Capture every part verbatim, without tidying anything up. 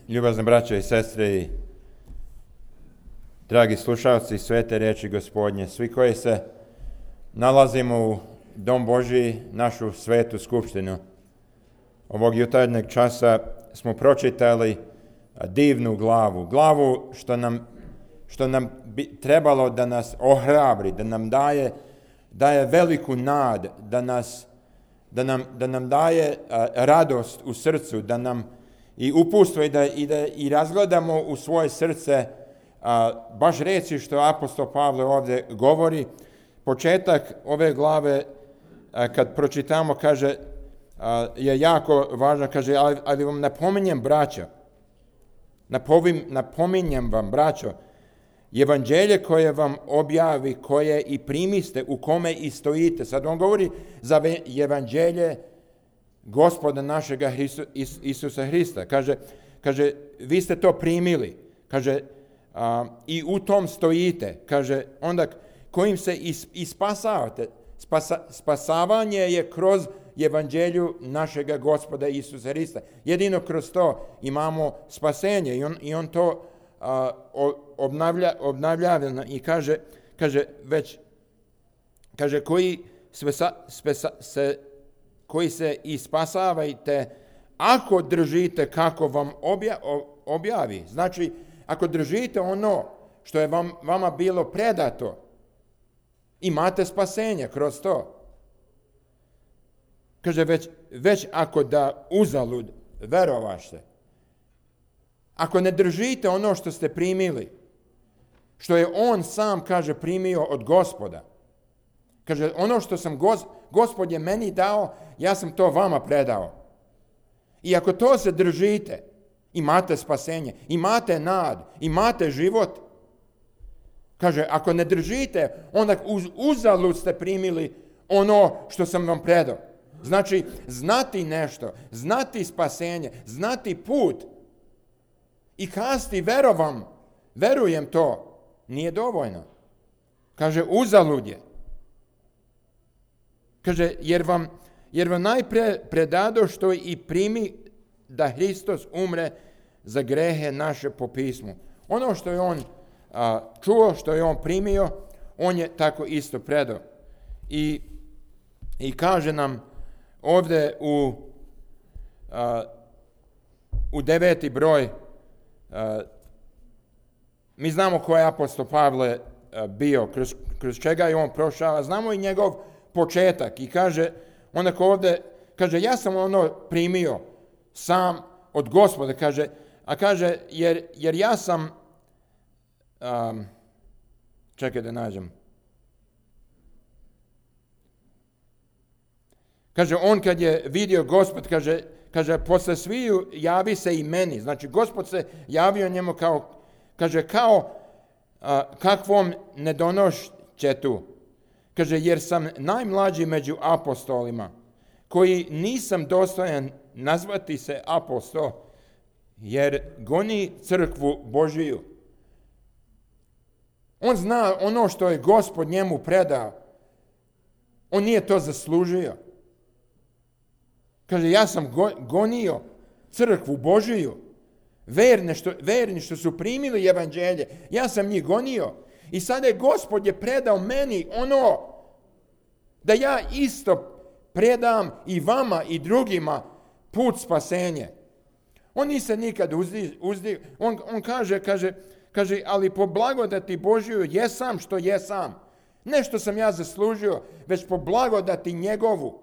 Ljubazne braće i sestre i dragi slušalci svete riječi Gospodnje, svi koji se nalazimo u Dom Božji, našu svetu skupštinu. Ovog jutarnjeg časa smo pročitali divnu glavu, glavu što nam, što nam bi trebalo da nas ohrabri, da nam daje, daje veliku nad, da, nas, da, nam, da nam daje a, radost u srcu, da nam i upustvo i da, i da i razgledamo u svoje srce a, baš reći što apostol Pavle ovdje govori. Početak ove glave a, kad pročitamo kaže a, je jako važno, kaže ali, ali vam napominjem braćo, napovim, napominjem vam braćo, evanđelje koje vam objavi, koje i primiste, u kome i stojite. Sad on govori za evanđelje Gospoda našega Isu, Is, Isusa Hrista. Kaže, kaže, vi ste to primili. Kaže, a, i u tom stojite. Kaže, onda kojim se is, ispasavate. Spasa, spasavanje je kroz evanđelju našega Gospoda Isusa Hrista. Jedino kroz to imamo spasenje. I on, i on to a, obnavlja, obnavlja i kaže, kaže, već, kaže, koji spesa, spesa, se koji se ispasavajte ako držite kako vam obja, objavi. Znači, ako držite ono što je vam, vama bilo predato, imate spasenje kroz to. Kaže, već, već ako da uzalud verovašte, ako ne držite ono što ste primili, što je on sam, kaže, primio od Gospoda, kaže, ono što sam gos, Gospod je meni dao, ja sam to vama predao. I ako to se držite, imate spasenje, imate nad, imate život. Kaže, ako ne držite, onda uz, uzalud ste primili ono što sam vam predao. Znači, znati nešto, znati spasenje, znati put i kazati verovam, verujem to, nije dovoljno. Kaže, uzalud je. Kaže, jer vam, jer vam najpre predado što i primi da Hristos umre za grehe naše po pismu. Ono što je on a, čuo, što je on primio, on je tako isto predao. I, i kaže nam ovdje u, a, u deveti broj, a, mi znamo ko je apostol Pavle a, bio, kroz, kroz čega je on prošao, znamo i njegov početak i kaže, onako ovdje, kaže, ja sam ono primio sam od Gospoda, kaže, a kaže, jer, jer ja sam, um, čekaj da nađem, kaže, on kad je vidio Gospod, kaže, kaže, posle sviju javi se i meni, znači, Gospod se javio njemu kao, kaže, kao uh, kakvom nedonošćetu. Kaže, jer sam najmlađi među apostolima, koji nisam dostojan nazvati se apostol, jer goni crkvu Božiju. On zna ono što je Gospod njemu predao. On nije to zaslužio. Kaže, ja sam go, gonio crkvu Božiju. Verne što, verni što su primili evanđelje. Ja sam njih gonio. I sada je Gospod je predao meni ono da ja isto predam i vama i drugima put spasenje. On nije se nikad uzdi, uzdi on, on kaže, kaže, kaže, ali po blagodati Božju jesam što jesam. Ne što sam ja zaslužio, već po blagodati njegovu.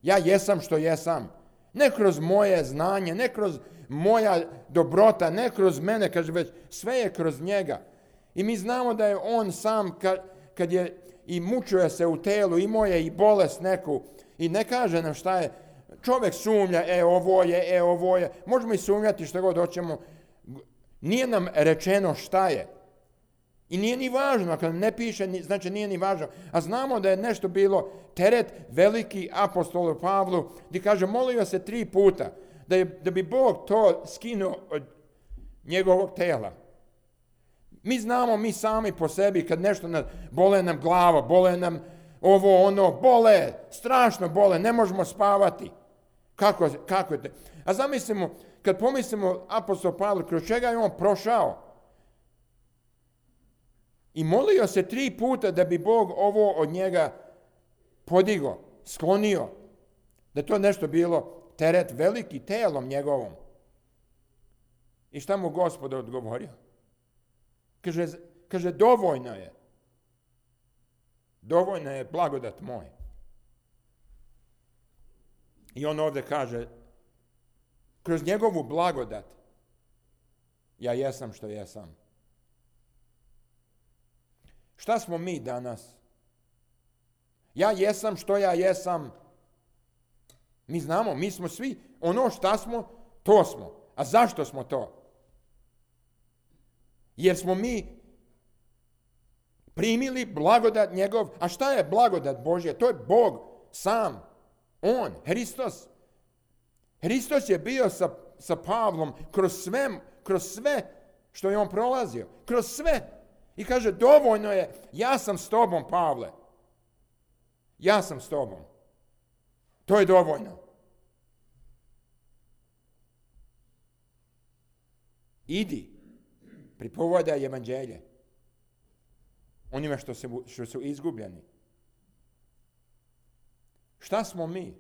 Ja jesam što jesam. Ne kroz moje znanje, ne kroz moja dobrota, ne kroz mene, kaže, već sve je kroz njega. I mi znamo da je on sam, kad, kad je i mučuje se u telu, imao je i bolest neku, i ne kaže nam šta je. Čovjek sumnja, e ovo je, e ovo je. Možemo i sumnjati što god hoćemo. Nije nam rečeno šta je. I nije ni važno, ako ne piše, znači nije ni važno. A znamo da je nešto bilo teret veliki apostolu Pavlu, gdje kaže, molio se tri puta, da, je, da bi Bog to skinuo od njegovog tela. Mi znamo, mi sami po sebi, kad nešto nas, bole nam glava, bole nam ovo, ono, bole, strašno bole, ne možemo spavati. Kako, kako je to? A zamislimo, kad pomislimo apostol Pavle, kroz čega je on prošao, i molio se tri puta da bi Bog ovo od njega podigo, sklonio, da to nešto bilo teret veliki telom njegovom. I šta mu Gospod odgovorio? Kaže, kaže dovoljno je. Dovoljno je blagodat moj. I on ovdje kaže, kroz njegovu blagodat ja jesam što jesam. Šta smo mi danas? Ja jesam što ja jesam. Mi znamo, mi smo svi, ono šta smo, to smo. A zašto smo to? Jer smo mi primili blagodat njegov. A šta je blagodat Božja? To je Bog sam. On, Hristos. Hristos je bio sa, sa Pavlom kroz sve, kroz sve što je on prolazio. Kroz sve. I kaže, dovoljno je, ja sam s tobom, Pavle. Ja sam s tobom. To je dovoljno. Idi, pripovedaj evanđelje onima što, se, što su izgubljeni. Šta smo mi?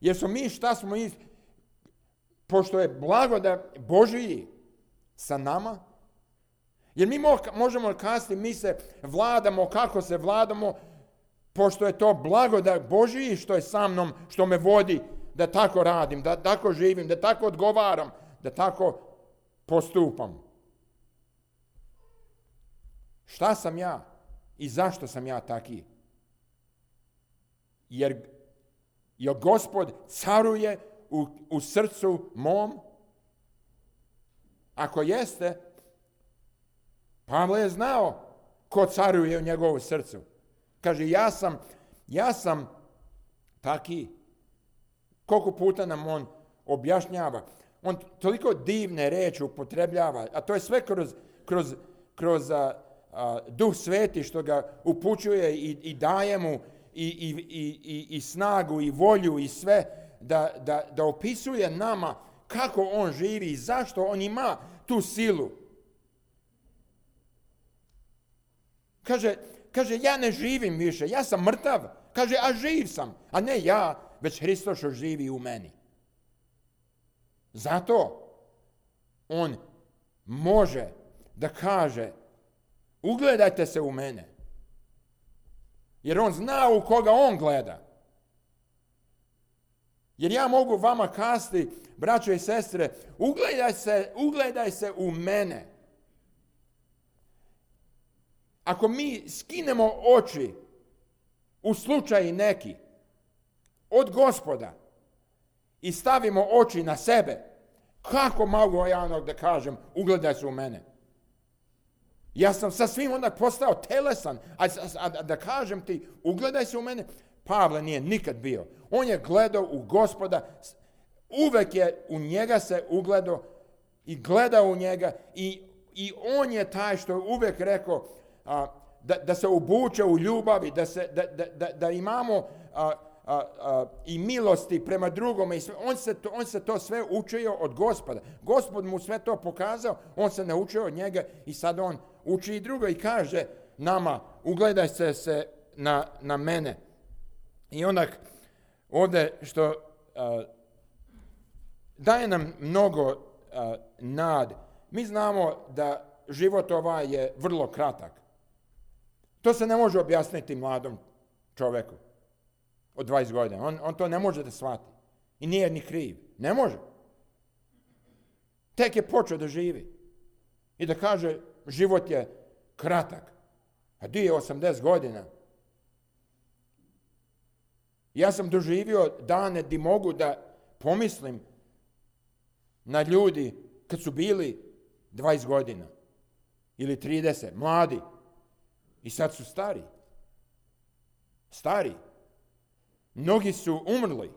Jer smo mi šta smo mi, pošto je blagodat Božiji sa nama, jer mi možemo kazati, mi se vladamo kako se vladamo, pošto je to blagodat Božiji što je sa mnom, što me vodi da tako radim, da tako živim, da tako odgovaram, da tako postupam. Šta sam ja i zašto sam ja taki? Jer, jer Gospod caruje u, u srcu mom? Ako jeste, Pavle je znao ko caruje u njegovom srcu. Kaže, ja sam, ja sam taki. Koliko puta nam on objašnjava. On toliko divne reči upotrebljava, a to je sve kroz, kroz, kroz a, a, Duh Sveti što ga upućuje i, i daje mu i, i, i, i snagu i volju i sve da, da, da opisuje nama kako on živi i zašto on ima tu silu. Kaže, kaže, ja ne živim više, ja sam mrtav. Kaže, a živ sam, a ne ja, već Hristos što živi u meni. Zato on može da kaže, ugledajte se u mene. Jer on zna u koga on gleda. Jer ja mogu vama kazati, braćo i sestre, ugledaj se, ugledaj se u mene. Ako mi skinemo oči u slučaju neki od Gospoda i stavimo oči na sebe, kako mogu ja onog da kažem, ugledaj se u mene? Ja sam sa svim onda postao telesan, a, a, a da kažem ti, ugledaj se u mene. Pavle nije nikad bio. On je gledao u Gospoda, uvek je u njega se ugledao i gledao u njega i, i on je taj što je uvek rekao a, da, da se obuče u ljubavi, da, se, da, da, da, da imamo a, a, a, i milosti prema drugome. I sve. On, se to, on se to sve učio od Gospoda. Gospod mu sve to pokazao, on se naučio od njega i sad on uči i drugo i kaže nama, ugledaj se, se na, na mene. I onda ovdje što uh, daje nam mnogo uh, nad. Mi znamo da život ovaj je vrlo kratak. To se ne može objasniti mladom čovjeku od dvadeset godina. On, on to ne može da shvati. I nije ni kriv. Ne može. Tek je počeo da živi. I da kaže, život je kratak. A di je osamdeset godina? Ja sam doživio dane di mogu da pomislim na ljudi kad su bili dvadeset godina ili trideset, mladi. I sad su stari. Stari. Mnogi su umrli.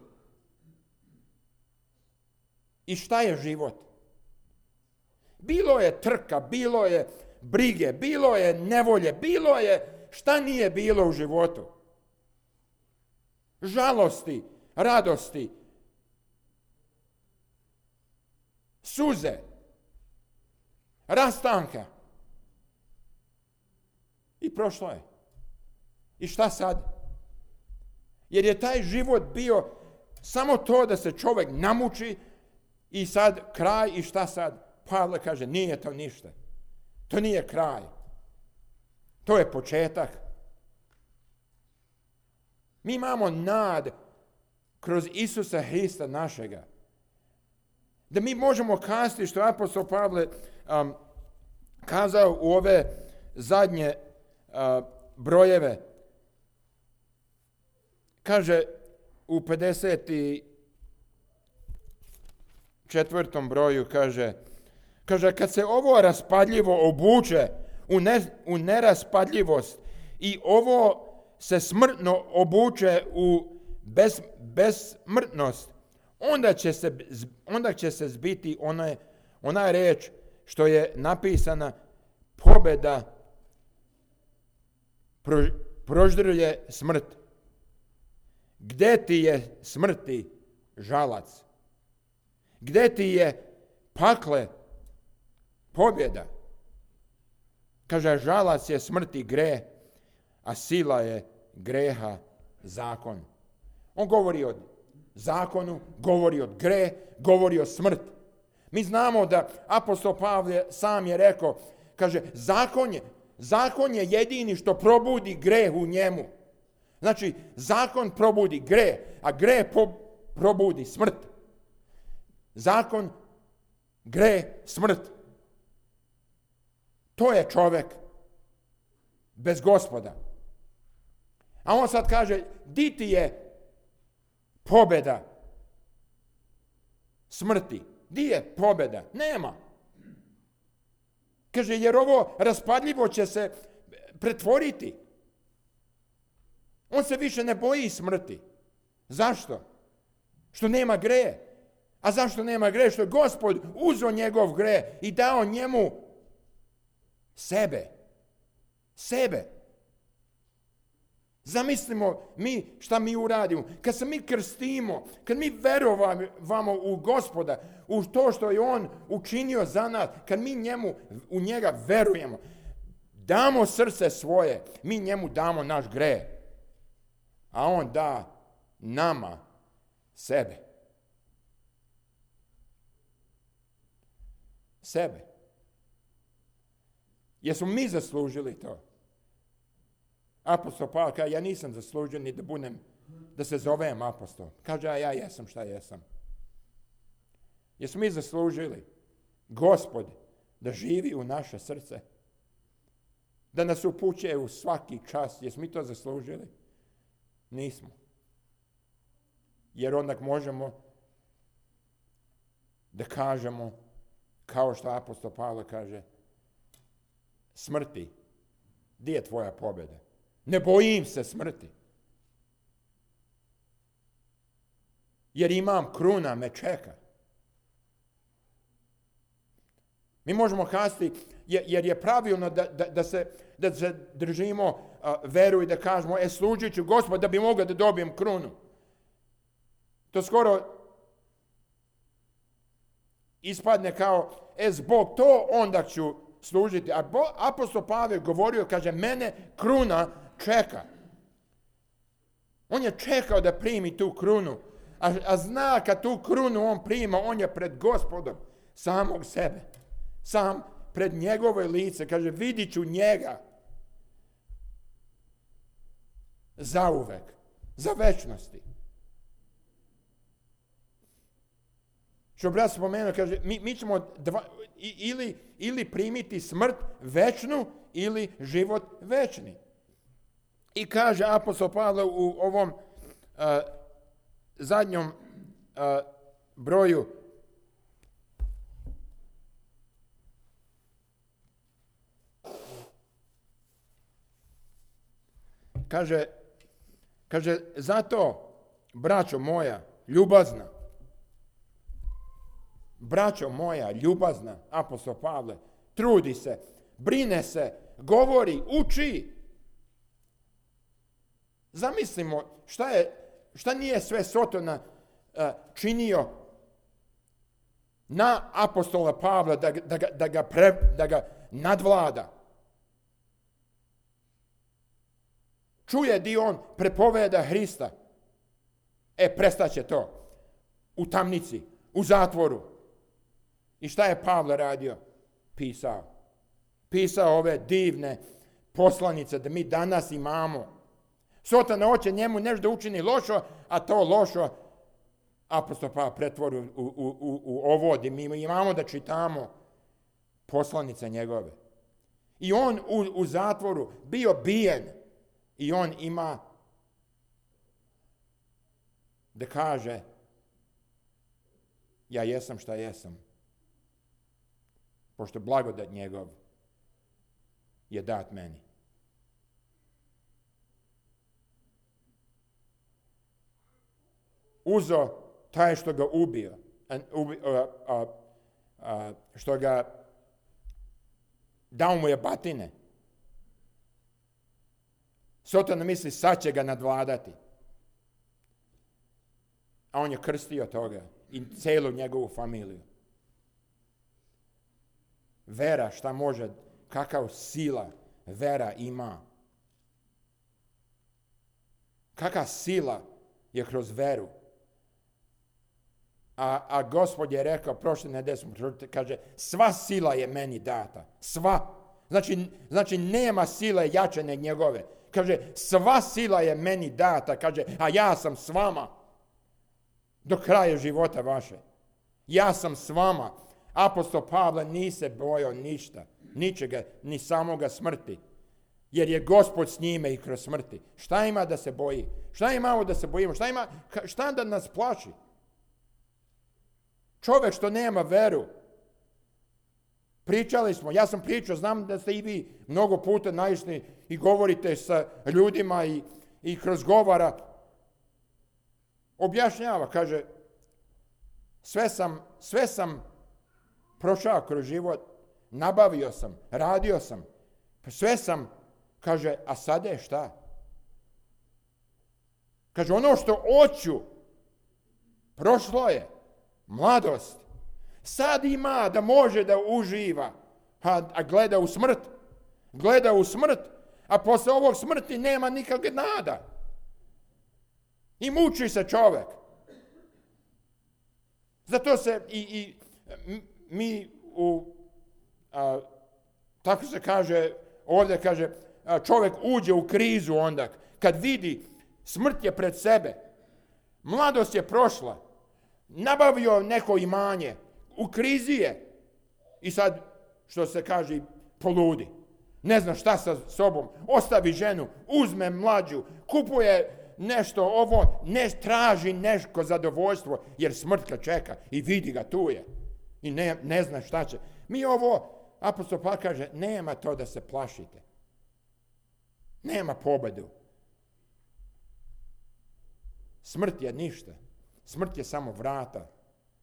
I šta je život? Bilo je trka, bilo je brige, bilo je nevolje, bilo je šta nije bilo u životu. Žalosti, radosti. suze, rastanka. I prošlo je. I šta sad? Jer je taj život bio samo to da se čovjek namuči i sad kraj i šta sad? Pavle kaže, nije to ništa. To nije kraj. To je početak. Mi imamo nad kroz Isusa Hrista našega. Da mi možemo kazati što je apostol Pavle um, kazao u ove zadnje uh, brojeve. Kaže u pedeset četvrtom broju, kaže, kaže kad se ovo raspadljivo obuče u, ne, u neraspadljivost i ovo se smrtno obuče u bez, bezsmrtnost, onda će se, onda će se zbiti ona, ona reč što je napisana, pobjeda pro, proždruje smrt. Gde ti je smrti žalac? Gde ti je pakle pobjeda? Kaže, žalac je smrti greh, a sila je greha zakon. On govori o zakonu, govori o greh, govori o smrt. Mi znamo da apostol Pavle sam je rekao, kaže, zakon je, zakon je jedini što probudi greh u njemu. Znači, zakon probudi greh, a greh po, probudi smrt. Zakon, greh, smrt. To je čovjek bez Gospoda. A on sad kaže, di ti je pobjeda smrti? Di je pobjeda? Nema. Kaže, jer ovo raspadljivo će se pretvoriti. On se više ne boji smrti. Zašto? Što nema grehe. A zašto nema grehe? Što je Gospod uzeo njegov greh i dao njemu sebe. Sebe. Zamislimo mi šta mi uradimo. Kad se mi krstimo, kad mi verujemo u Gospoda, u to što je On učinio za nas, kad mi njemu, u njega verujemo, damo srce svoje, mi njemu damo naš greh. A on da nama sebe. Sebe. Jesmo mi zaslužili to? Apostol Pavle kaže, ja nisam zaslužio ni da budem, da se zovem apostol. Kaže, a ja jesam šta jesam. Jesmo mi zaslužili Gospod da živi u naše srce? Da nas upućuje u svaki čas? Jesmo mi to zaslužili? Nismo. Jer onda možemo da kažemo, kao što apostol Pavle kaže, smrti, gdje je tvoja pobjeda? Ne bojim se smrti. Jer imam kruna me čeka. Mi možemo kazati, jer je pravilno da, da, da, se, da se držimo uh, veru i da kažemo, e, služit ću Gospod da bi mogao da dobijem krunu. To skoro ispadne kao, e, zbog to onda ću služiti. A bo, apostol Pavel govorio, kaže, mene kruna čeka. On je čekao da primi tu krunu. A, a zna kad tu krunu on prima, on je pred Gospodom samog sebe. Sam pred njegove lice. Kaže, vidit ću njega. Zauvek. Za večnosti. Što brat spomenuo, kaže, mi, mi ćemo dva, ili, ili primiti smrt večnu, ili život večni. I kaže apostol Pavle u ovom uh, zadnjom uh, broju, kaže, kaže, zato, braćo moja, ljubazna, braćo moja, ljubazna, apostol Pavle, trudi se, brine se, govori, uči. Zamislimo šta je, šta nije sve Sotona uh, činio na apostola Pavla da, da, ga, da, ga, pre, da ga nadvlada. Čuje di on prepoveda Hrista. E, prestaće to. U tamnici, u zatvoru. I šta je Pavle radio? Pisao. Pisao ove divne poslanice da mi danas imamo. Sotana hoće njemu nešto da učini lošo, a to lošo apostol Pavle pretvori u, u, u, u ovo gdje mi imamo da čitamo poslanice njegove. I on u, u zatvoru bio bijen i on ima da kaže ja jesam šta jesam. Pošto blagodat njegov je dat meni. Uzo taj što ga ubio, a, a, a, što ga dao mu je batine. Sotona misli sad će ga nadvladati. A on je krstio toga i celu njegovu familiju. Vera šta može, kakav sila vera ima. Kakva sila je kroz veru. A, a Gospod je rekao, prošle nedelje smo, kaže, sva sila je meni data. Sva. Znači, znači nema sile jače nego njegove. Kaže, sva sila je meni data. Kaže, a ja sam s vama. Do kraja života vaše. Ja sam s vama. Apostol Pavle nije se bojao ništa. Ničega, ni samoga smrti. Jer je Gospod s njime i kroz smrti. Šta ima da se boji? Šta imamo da se bojimo? Šta ima, šta da nas plaši? Čovjek što nema veru. Pričali smo, ja sam pričao, znam da ste i vi mnogo puta naišli i govorite sa ljudima i, i kroz govora. Objašnjava, kaže, sve sam, sve sam prošao kroz život, nabavio sam, radio sam, sve sam, kaže, a sada je šta? Kaže, ono što hoću, prošlo je. Mladost. Sad ima da može da uživa, a, a gleda u smrt. Gleda u smrt, a posle ovog smrti nema nikakve nada. I muči se čovjek. Zato se i, i mi u, a, tako se kaže, ovdje kaže, a, čovjek uđe u krizu onda, kad vidi smrt je pred sebe, mladost je prošla, nabavio neko imanje, u krizi je i sad, što se kaže, poludi. Ne zna šta sa sobom, ostavi ženu, uzme mlađu, kupuje nešto ovo, ne traži nešto zadovoljstvo, jer smrt ga čeka i vidi ga tu je i ne, ne zna šta će. Mi ovo, apostol Pavle kaže, nema to da se plašite. Nema pobedu. Smrt je ništa. Smrt je samo vrata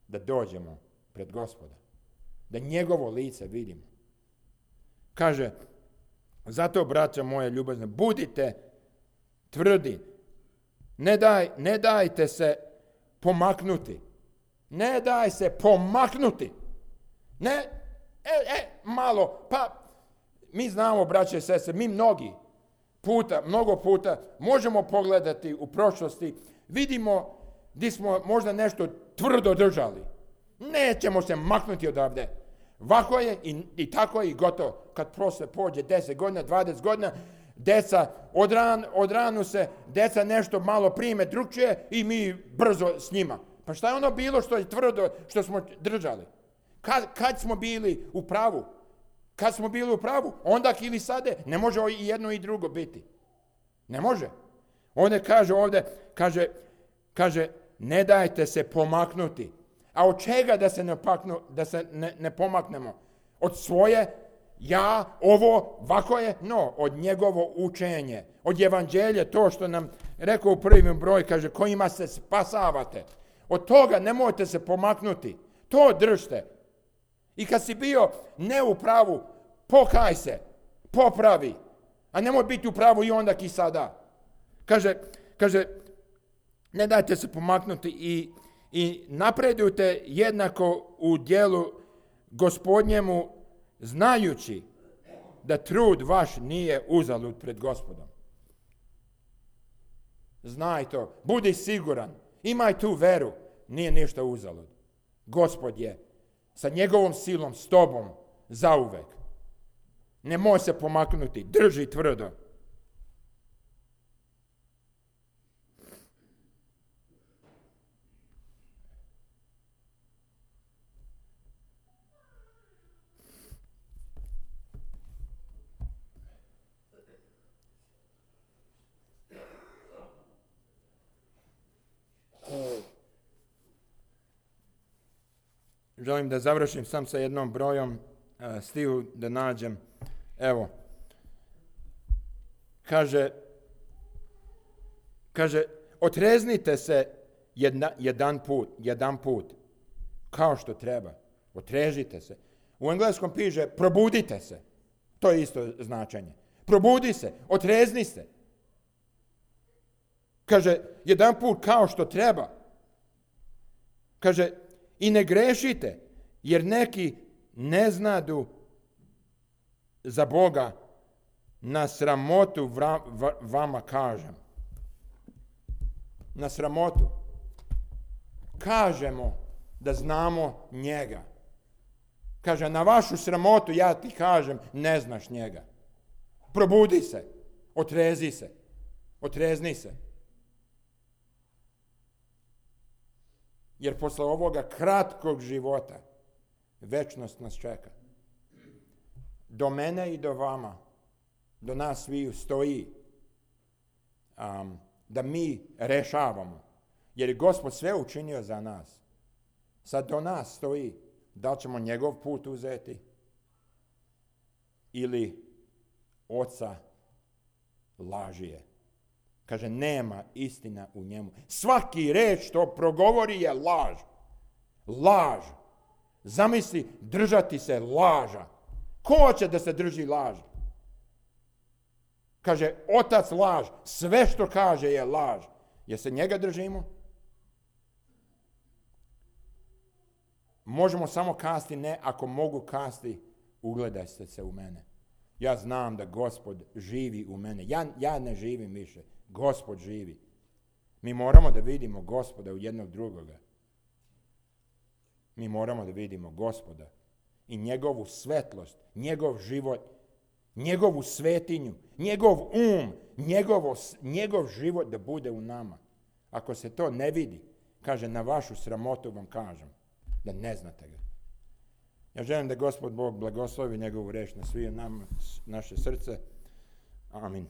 da dođemo pred Gospoda. Da njegovo lice vidimo. Kaže, zato, braća moje ljubazne, budite tvrdi. Ne, daj, ne dajte se pomaknuti. Ne daj se pomaknuti. Ne, e, e, malo, pa mi znamo, braće i sestre, mi mnogi puta, mnogo puta možemo pogledati u prošlosti, vidimo gdje smo možda nešto tvrdo držali. Nećemo se maknuti odavde. Ovako je i, i tako je i gotovo. Kad posle pođe deset godina, dvadeset godina, deca odran, odranu se, deca nešto malo prime drugčije i mi brzo s njima. Pa šta je ono bilo što je tvrdo, što smo držali? Kad, kad smo bili u pravu? Kad smo bili u pravu? Onda ili sade? Ne može i jedno i drugo biti. Ne može. Ovdje kaže, ovdje kaže, kaže, ne dajte se pomaknuti. A od čega da se ne, paknu, da se ne, ne pomaknemo? Od svoje, ja, ovo, ovako je? No, od njegovo učenje. Od evanđelja, to što nam rekao u prvim broj, kaže, kojima se spasavate. Od toga nemojte se pomaknuti. To držite. I kad si bio ne u pravu, pokaj se, popravi. A nemoj biti u pravu i onda i sada. Kaže, kaže, ne dajte se pomaknuti i, i napredujte jednako u djelu Gospodnjemu, znajući da trud vaš nije uzalud pred Gospodom. Znaj to, budi siguran, imaj tu veru, nije ništa uzalud. Gospod je sa njegovom silom s tobom zauvek. Nemoj se pomaknuti, drži tvrdo. Želim da završim sam sa jednom brojom, stihu da nađem. Evo, kaže, kaže, otreznite se jedna, jedan put, jedan put, kao što treba. Otrežite se. U engleskom piše, probudite se. To je isto značenje. Probudi se, otrezni se. Kaže, jedan put kao što treba. Kaže, i ne grešite, jer neki ne znadu za Boga, na sramotu vra, v, vama kažem. Na sramotu. Kažemo da znamo njega. Kaže, na vašu sramotu ja ti kažem, ne znaš njega. Probudi se, otrezi se, otrezni se. Jer posle ovoga kratkog života večnost nas čeka. Do mene i do vama, do nas sviju stoji um, da mi rešavamo. Jer je Gospod sve učinio za nas. Sad do nas stoji da li ćemo njegov put uzeti ili oca lažije. Kaže, nema istina u njemu. Svaki reč što progovori je laž. Laž. Zamisli, držati se laža. Ko će da se drži laž? Kaže, otac laž. Sve što kaže je laž. Jer se njega držimo? Možemo samo kasti ne, ako mogu kasti, ugledaj se u mene. Ja znam da Gospod živi u mene. Ja, ja ne živim više. Gospod živi. Mi moramo da vidimo Gospoda u jednog drugoga. Mi moramo da vidimo Gospoda i njegovu svetlost, njegov život, njegovu svetinju, njegov um, njegovo, njegov život da bude u nama. Ako se to ne vidi, kaže, na vašu sramotu vam kažem, da ne znate ga. Ja želim da Gospod Bog blagoslovi njegovu reč na svi nam, naše srce. Amin.